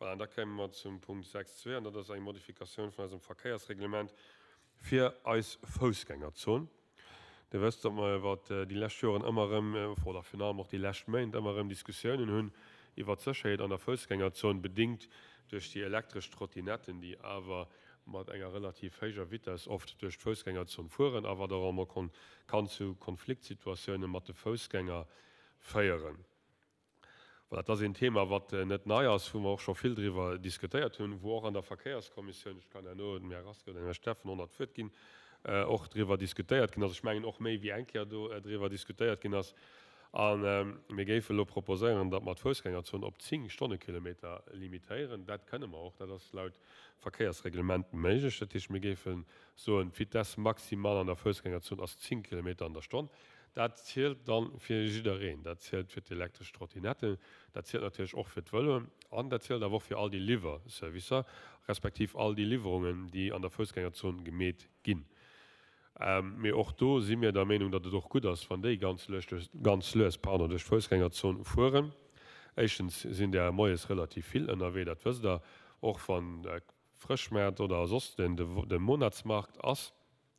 Voilà, an da kéime mer zum Punkt 6.2, an dat ass eng Modifikatioun vun eisem Verkéiersreglement fir eis Foussgängerzon. Dir wësst, datt mer iwwert déi lescht Joren ëmmer erëm, oder virun allem och déi lescht Méint ëmmer erëm Diskussiounen hunn iwwert d'Sécherheet an der Foussgängerzon, bedéngt duerch déi elektresch Trottinetten, déi awer mat enger relativ héijer Vitess oft duerch d'Foussgängerzon fueren a wat och emol kann zu Konfliktsituatiounen mat de Foussgänger féieren. Voilà, dat ass een Thema, wat net nei ass, wou mer och scho vill driwwer diskutéiert hunn, wou och an der Verkéierskommissioun, ech kann herno dem Här Rasqué oder dem Här Steffen och nach d'Wuert ginn, och driwwer diskutéiert ginn ass. Ech mengen och méi wéi eng Kéier do driwwer diskutéiert ginn ass. A mir géife elo proposéieren, datt mer d'Foussgängerzon op 10 Stonnekilometer limitéieren. Dat kënne mer och, dat ass laut Verkéiersreglement méiglech. Dat heescht, mir géife soen, d'Vitesse maximale an der Foussgängerzon ass 10 Kilometer an der Stonn. Dat zielt dann fir jiddereen. Dat zielt fir d'elektresch Trottinetten, dat zielt natierlech och fir d'Vëloen an dat zielt awer och fir all déi Liwwerservicer, respektiv all déi Liwwerungen, déi an der Foussgängerzon gemeet ginn. Mee och do si mir der Meenung, datt et och gutt ass, wann déi ganz lues duerch, ganz lues, pardon, duerch d'Foussgängerzon fueren. Éischtens sinn där moies relativ vill ënnerwee, dat wësst Der, och wann Frëschmaart oder soss den de Monatsmarkt ass.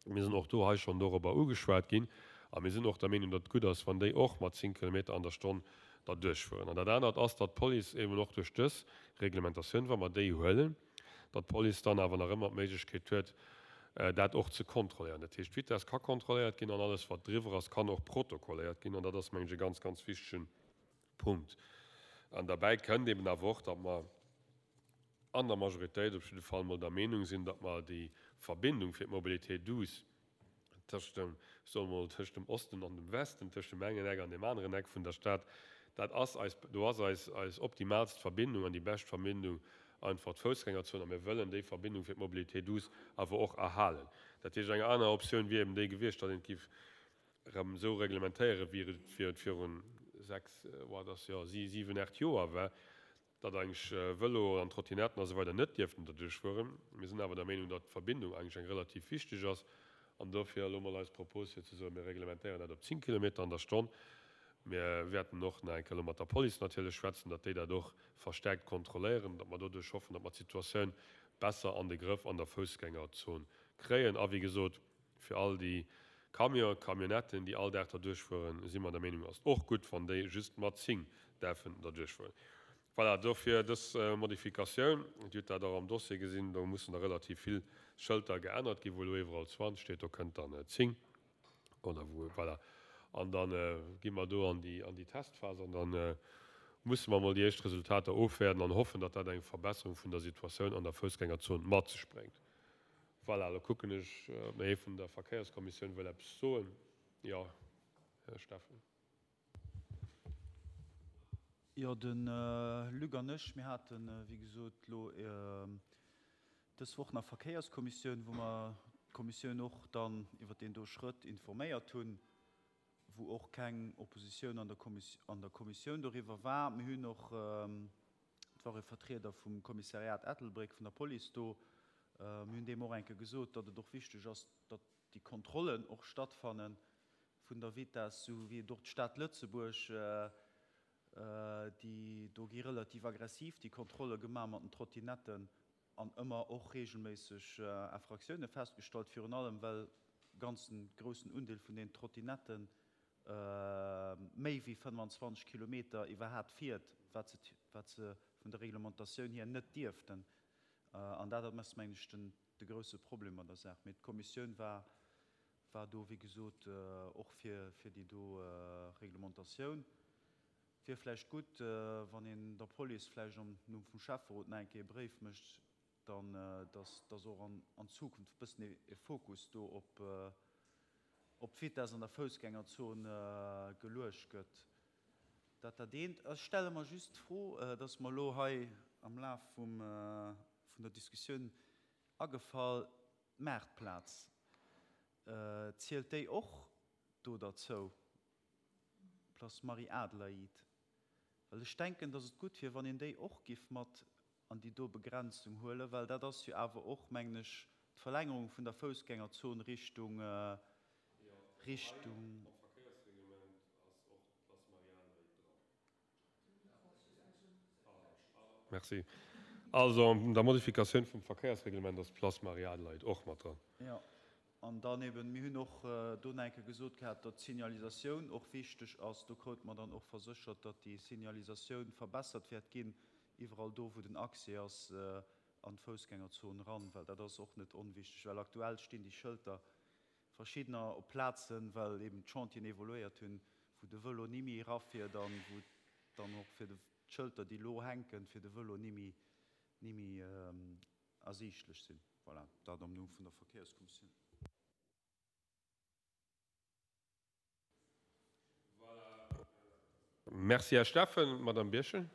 Mir sinn och do hei schonn dorobber ugeschwat ginn a mir sinn och der Meenung, datt et gutt ass, wann déi och mat 10 Kilometer an der Stonn derduerchfueren. An dat anert ass, datt d'Police eben och duerch dës Reglementatioun, wa mer déi huelen, datt d'Police dann awer nach ëmmer d'Méiglechkeet huet, dat och ze kontrolléieren. Dat heescht, d'Vitess ka kontrolléiert ginn an alles, wat driwwer ass, kann och protokolléiert ginn. An dat ass, mengen ech, e ganz, ganz wichtege Punkt. An derbäi kënnt eben awer och, datt mer an der Majoritéit op jidde Fall mol der Meenung sinn, datt mer déi Verbindung fir d'Mobilité douce tëscht dem, ech soe mol, tëscht dem Osten an dem Westen, tëscht dem engen Eck an deem aneren Eck vun der Stad, dat ass eis, do ass eis, eis optimalst Verbindung an déi bescht Verbindung einfach d'Foussgängerzon a mir wëllen déi Verbindung fir d'Mobilité douce awer och erhalen. Dat heescht, eng aner Optioun wier eben déi gewiescht, datt een et géif erëm esou reglementéieren, wéi et virun 6, wat ass, jo, 7, 8 Joer war, datt eigentlech Vëlo an Trottinetten a sou weider net dierften derduerch fueren. Mir sinn awer der Meenung, datt d'Verbindung eigentlech eng relativ wichteg ass an dofir elo mol eis Propos fir ze soen, mir reglementéieren dat op 10 Kilometer an der Stonn. Mir wäerten och nach eng Kéier elo mat der Police natierlech schwätzen, datt déi dat och verstärkt kontrolléieren, datt mer doduerch hoffen, datt mer d'Situatioun besser an de Grëff an der Foussgängerzon kréien. A wéi gesot, Fir all déi Camionen, Camionnetten, déi all Dag derduerch fueren, si mer der Meenung, ass et och gutt, wann déi just mat 10 däerfen derduerch fueren. Voilà, dofir dës Modifikatioun. Dir hutt dat och am Dossier gesinn, do mussen da relativ vill Schëlter geännert ginn, wou elo iwwerall 20 steet, do kënnt dann 10 oder wou, voilà. An da gi mer do an déi, an déi Testphas an da musse mer emol déi éischt Resultater ofwäerden an hoffen, datt dat eng Verbesserung vun der Situatioun an der Foussgängerzon mat sech bréngt. Voilà, elo kucken ech, ob nach ee vun der Verkéierskommissioun wëll eppes soen. Jo, Här Steffen. Jo, de Luc an ech, mir haten, wéi gesot, elo dës Woch nach Verkéierskommissioun, wou mer d'Kommissioun och dann iwwert deen do Schrëtt informéiert hunn, wou och keng Oppositioun an der Kommissioun doriwwer war. Mir hunn och Et war e Vertrieder vum Kommissariat Ettelbréck vun der Police do. Mir hunn deem och eng Kéier gesot, datt et och wichteg ass, datt déi Kontrollen och stattfanne vun der Vitess, esou wéi et och d'Stad Lëtzebuerg, déi do gi relativ aggressiv déi Kontrolle gemaach mat den Trottinetten an ëmmer och regelméisseg Infractiounen festgestallt, virun allem well e ganzen groussen Undeel vun den Trottinetten méi wéi 25 Kilometer iwwerhaapt fiert, wat se, wat se vun der Reglementatioun hier net dierften. An dat ass, mengen ech, den, de grouse Problem an der Saach. Mee d'Kommissioun war, war do, wéi gesot, och fir, fir déi do Reglementatioun. Wier vläicht gutt, wann een der Police vläicht am Numm vum Schäfferot nach eng Kéier e Bréif mécht, dann, dass, dass och an, an Zukunft e bëssen e Fokus do op, op d'Vitess an der Foussgängerzon geluecht gëtt. Dat dat eent. Ech stelle mer just d'Fro, et ass mer elo hei am Laf vum, vun der Diskussioun agefall, d'Maartplaz, zielt déi och do derzou, Place Marie-Adelaïde? Well ech denken, dass et gutt wier, wann een déi och giff mat an déi do Begrenzung huelen, well dat ass jo awer och, mengen ech, d'Verlängerung vun der Foussgängerzon Richtung, Richtung. Am Verkéiersreglement ass och d'Place Marie-Adelaïde dran. Merci. Also an der Modifikatioun vum Verkéiersreglement ass d'Place Marie-Adelheid och mat dran. Jo, an dann eben, mir hunn och do nach eng Kéier gesot gehat, datt d'Signalisatioun och wichteg ass. Do kroute mer dann och verséchert, datt déi Signalisatioun verbessert wäert ginn, iwwerall do, wou den Accès ass an d'Foussgängerzon eran, well dat ass och net onwichteg, well aktuell stinn déi Schëlter verschiddener op Plazen, well eben d'Chantieren evoluéiert hunn, wou de Vëlo ni méi erafiert an wou dann och fir de d'Schëlter, déi elo hänken, fir de Vëlo ni méi, ni méi ersiichtlech sinn. Voilà, dat am Numm vun der Verkéierskommissioun. Voilà. Merci, Här Steffen. Madame Birchen.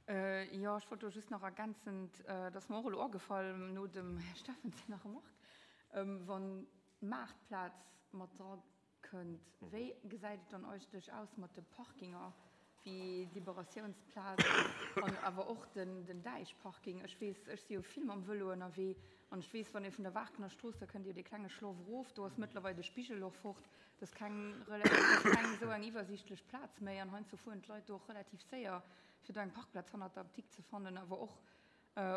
Jo, ech wollt do just nach ergänzend, et ass mer och elo agefall no dem Här Steffen senger Remarque, wann d'Maartplaz mat dra kënnt, wéi gesäit et dann eigentlech aus mat de Parkinger, wéi d'Liberatiounsplaz an awer och den Däichparking? Ech weess, ech si jo vill mam Vëlo ënnerwee an ech weess, wann ee vun der Waarkener Strooss, da kënnt Dir jo dee klenge Schloff erof, do ass mëttlerweil de Spigel och fort, dat ass keng, dat ass keng esou eng iwwersiichtlech Plaz méi an heiansdo fueren d'Leit do och relativ séier, fir do eng Parkplaz hannert der Apdikt ze fannen, awer och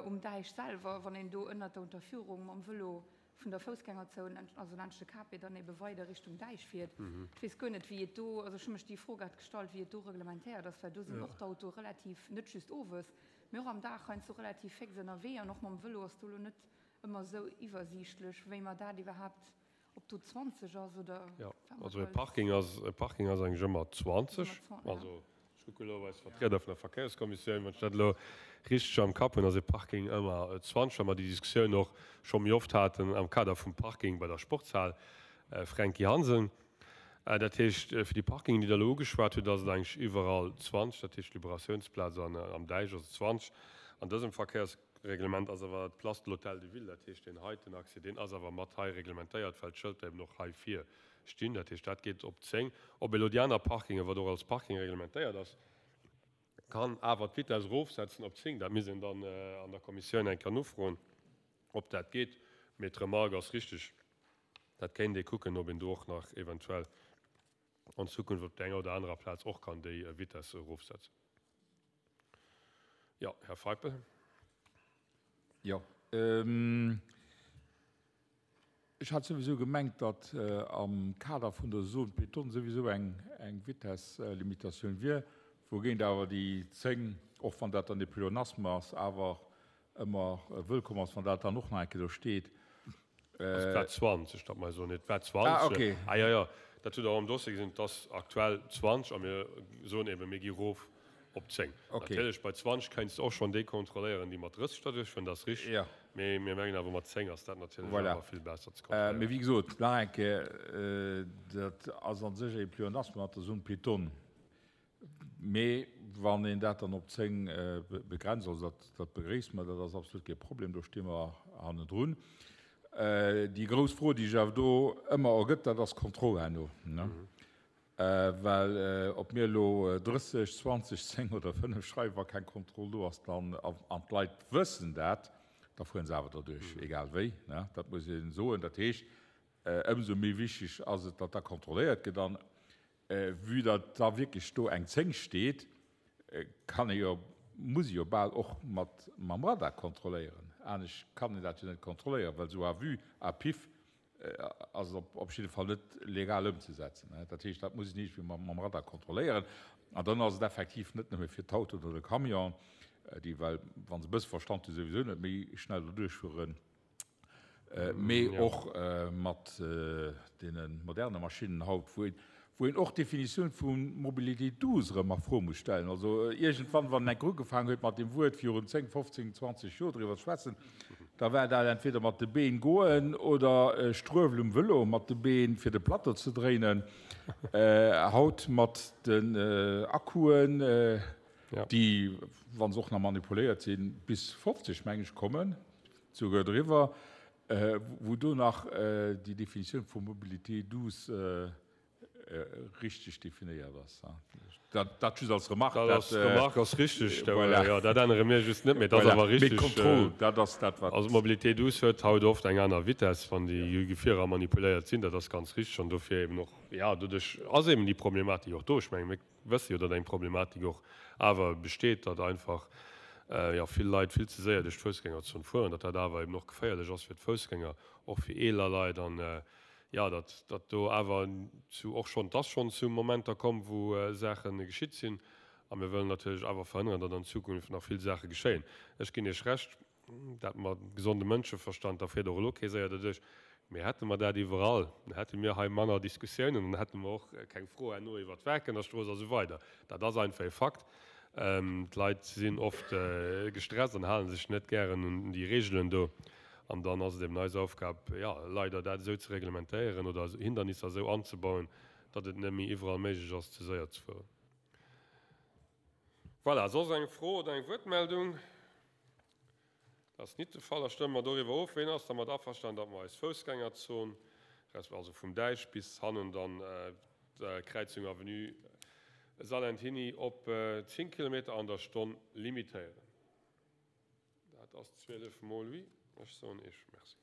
um Däich selwer, wann een do ënnert der Unterführung mam Vëlo vun der Foussgängerzon, also laanscht de KP, dann ebe weider Richtung Däich fiert. Ech weess guer net, wéi et do, also ech hu mech déi Fro grad gestallt, wéi et do reglementéiert ass, well do sinn och d'Autoe relativ, net just owes, mee och am Dag heiansdo relativ féx ënnerwee an och mam Vëlo ass do elo net ëmmer esou iwwersiichtlech, wéi mer dat iwwerhaapt, ob do 20 ass oder Jo, also e Parking ass, e Parking ass eigentlech ëmmer 20, also Ech kucke elo op eis Vertrieder vun der Verkéierskommissioun. Wann ech dat elo richteg am Kapp hunn, ass e Parking ëmmer 20, well mer déi Diskussioun och scho méi oft haten am Kader vum Parking bei der Sportshal Fränki Hansen. Dat heescht, fir déi Parkingen, déi Der elo ugeschwat hutt, ass et eigentlech iwwerall 20, dat heescht Liberatiounsplaz an am Däich ass et 20. An dësem Verkéiersreglement ass awer d'Place de l'Hôtel de Ville, dat heescht deen heiten Accès, deen ass awer mat hei reglementéiert, well d'Schëlter eben och hei vir stinn. Dat heescht, dat geet op 10. Ob elo déi aner Parkingen, wat och als Parking reglementéiert ass, kann awer d'Vitess erofsetzen op 10, dat misst een dann an der Kommissioun eng Kéier nofroen, ob dat geet. Mee d'Remarque ass richtig, dat kéint ee kucken, ob een do och nach eventuell an Zukunft op der enger oder anerer Plaz och kann déi Vitesse erofsetzen. Jo, Här Feipel. Jo. Ech hat souwisou gemengt, datt am Kader vun der Zone piétonne souwisou eng Vitesslimitatioun wier, wougéint awer déi 10, och wann dat dann e Pléonasme ass, awer ëmmer wëllkomm ass, wann dat dann och nach eng Kéier do steet. Et war 20, datt mer soen, et war 20. Ah, okay. Ah, jo, jo, dat hutt Der och am Dossier gesinn, et ass aktuell 20 a mir soen eben, mir gi erof Op 10. Okay. Natierlech, bei 20 kéints de och schonn déi kontrolléieren, déi mat 30 derduerch fueren, dat ass richteg. Ja. Mee mir mengen awer, mat 10 ass dat natierlech Voilà. awer vill besser ze kontrolléieren. Mee wéi gesot, nach eng Kéier, dat ass a sech e Pléonasme mat der Zone piétonne. Mee wann een dat dann op 10 begrenzt, also dat, dat begréisse mer, dat ass absolut kee Problem, do sti mer hannendrun. Déi grouss Fro, déi sech awer do ëmmer ergëtt, dat ass d'Kontroll herno, ne? Well ob mir elo 30, 20, 10 oder 5 schreiwen, wa keng Kontroll do ass, dann, an d'Leit wëssen dat, da fuere se awer derduerch, egal wéi. Dat muss ee soen. Dat heescht, ëmsou méi wichteg ass et, datt da kontrolléiert gëtt. An vue datt da wierklech do eng 10 steet, kann ee jo, muss ee jo bal och mat mam Radar kontrolléieren. Anescht kann een dat jo net kontrolléieren, well esou à vue, à pif ass et op jidde Fall net legal ëmzesetzen. Dat heescht, dat muss een iergendwéi mam Radar kontrolléieren. An dann ass et effektiv net nëmme fir d'Autoen oder de Camion, déi well, wa se e bësse Verstand hunn, souwisou net méi schnell do duerchfueren, mee och mat deene moderne Maschinnen haut, wou een, wou een och d'Definitioun vu Mobilité douce erëm a Fro muss stellen. Also iergendwann, wann en enk ugefaangen huet mat deem Wuert virun 10, 15, 20 Joer driwwer ze schwätzen, da war dat entweder mat de Been goen oder Struewel um Vëlo mat de Been, fir de Plateau ze dréinen. Haut mat den Akkuen, déi, wa se och nach manipuléiert sinn, bis 50, meng ech, kommen, souguer driwwer, wou do nach déi Definitioun vu Mobilité douce richteg definéiert ass. Dat just als Remarque. Dat ass, d'Remarque ass richteg. Voilà. Jo, dat ännere mir just net, mee dat ass awer richteg. Mee d'Kontroll, dat ass dat, wat. Also d'Mobilité douce huet haut oft eng aner Vitess, wann déi Gefierer manipuléiert sinn. Dat ass ganz richteg an dofir eben och, jo, doduerch ass eben déi Problematik och do. Ech mengen, mir wësse jo, datt eng Problematik och awer besteet, datt einfach. jo, vill Leit vill ze séier duerch d'Foussgängerzon fueren, datt dat awer eben och geféierlech ass fir d'Foussgänger, och fir eeler Leit an, jo, datt datt do awer zu och schonn, et ass schonn zu Momenter komm, wou Saache geschitt sinn a mir wëllen natierlech awer verhënneren, datt an Zukunft nach vill Saache geschéien. Ech ginn Iech Recht, Dat mat gesondem Mënscheverstand, da fiert och elo kee séier derduerch. Mee hätte mer dat iwwerall, dann hätte mir hei manner Diskussiounen, dann hätte mer och keng Fro herno iwwert d'Werkenerstrooss a sou weider. Dat ass einfach e Fakt. D'Leit sinn oft gestresst an hale sech net gären un déi Reegelen do. An dann ass et eben eis Aufgab, jo, leider dat esou ze reglementéieren oder Hindernisser esou anzebauen, datt et net méi iwwerall méiglech ass, ze séier ze fueren. Voilà, soss eng Fro oder eng Wuertmeldung? Dat ass nit de Fall. Da stëmme mer doriwwer of. Ween ass dermat averstanen, datt mer eis Foussgängerzon, resp. Also vum Däich bis hannen dann d'Kräizung Avenue Salentiny op 10 Kilometer an der Stonn limitéieren? Dat ass 12 mol oui. Ech soen Iech Merci.